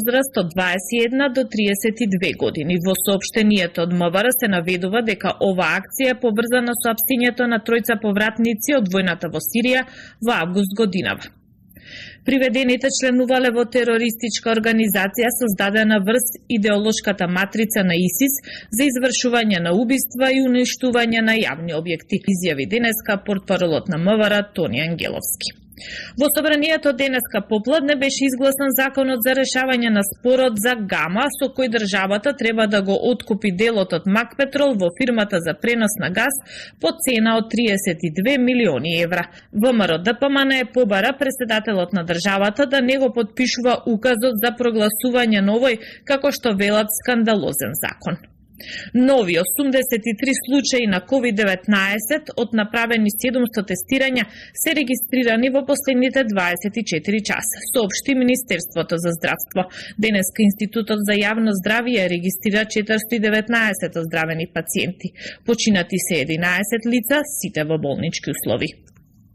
возраст од 21 до 32 години. Во соопштението од МВР се наведува дека оваа акција е поврзана со апстињето на тројца повратници од војната во Сирија во август годинава. Приведените членувале во терористичка организација создадена врз идеолошката матрица на ИСИС за извршување на убиства и уништување на јавни објекти, изјави денеска портпаролот на МВР Тони Ангеловски. Во собранието денеска попладне беше изгласан законот за решавање на спорот за Гама, со кој државата треба да го откупи делот од Макпетрол во фирмата за пренос на газ по цена од 32 милиони евра. ВМРО ДПМН побара председателот на државата да не го подпишува указот за прогласување на овој, како што велат, скандалозен закон. Нови 83 случаи на COVID-19 од направени 700 тестирања се регистрирани во последните 24 часа, соопшти Министерството за здравство. Денеска Институтот за јавно здравје регистрира 419 оздравени пациенти. Починати се 11 лица, сите во болнички услови.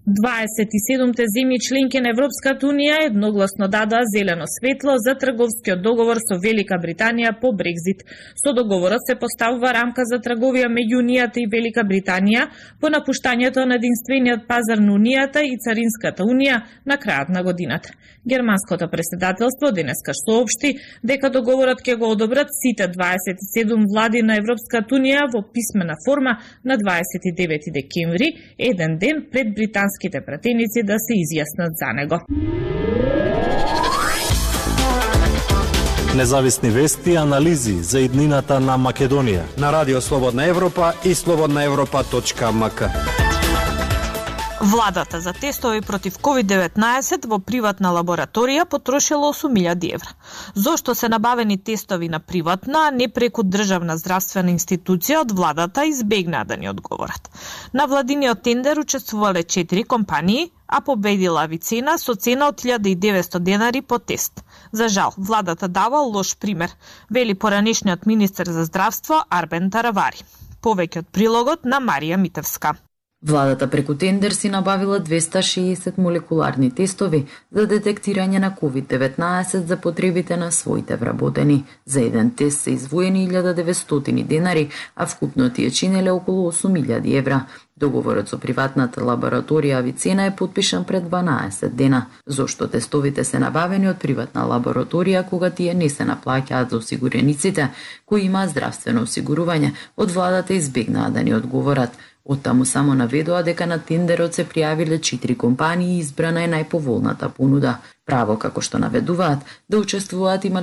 27 земји членки на Европската Унија едногласно дадоа зелено светло за трговскиот договор со Велика Британија по Брекзит. Со договорот се поставува рамка за трговија меѓу Унијата и Велика Британија по напуштањето на единствениот пазар на Унијата и Царинската Унија на крајот на годината. Германското претседателство денеска соопшти дека договорот ќе го одобрат сите 27 влади на Европската Унија во писмена форма на 29 декември, еден ден пред британските пратеници да се изјаснат за него. Независни вести и анализи за иднината на Македонија на Радио Слободна Европа и slobodnaevropa.mk. Владата за тестови против COVID-19 во приватна лабораторија потрошила 8.000 евра. Зошто се набавени тестови на приватна, а не преку државна здравствена институција, од владата избегнаа да ни одговорат. На владиниот тендер учествувале 4 компании, а победила Авицена со цена од 1900 денари по тест. За жал, владата дава лош пример, вели поранешниот министер за здравство Арбен Таравари. Повеќе од прилогот на Марија Митевска. Владата преку тендер си набавила 260 молекуларни тестови за детектирање на COVID-19 за потребите на своите вработени. За еден тест се извоени 1900 денари, а вкупно тие чинеле околу 8.000 евра. Договорот со приватната лабораторија Авицена е подпишан пред 12 дена. Зошто тестовите се набавени од приватна лабораторија кога тие не се наплаќаат за осигурениците кои имаат здравствено осигурување, од владата избегнаа да ни одговорат. Оттаму само наведоа дека на тендерот се пријавиле 4 компании и избрана е најповолната понуда. Право, како што наведуваат, да учествуваат има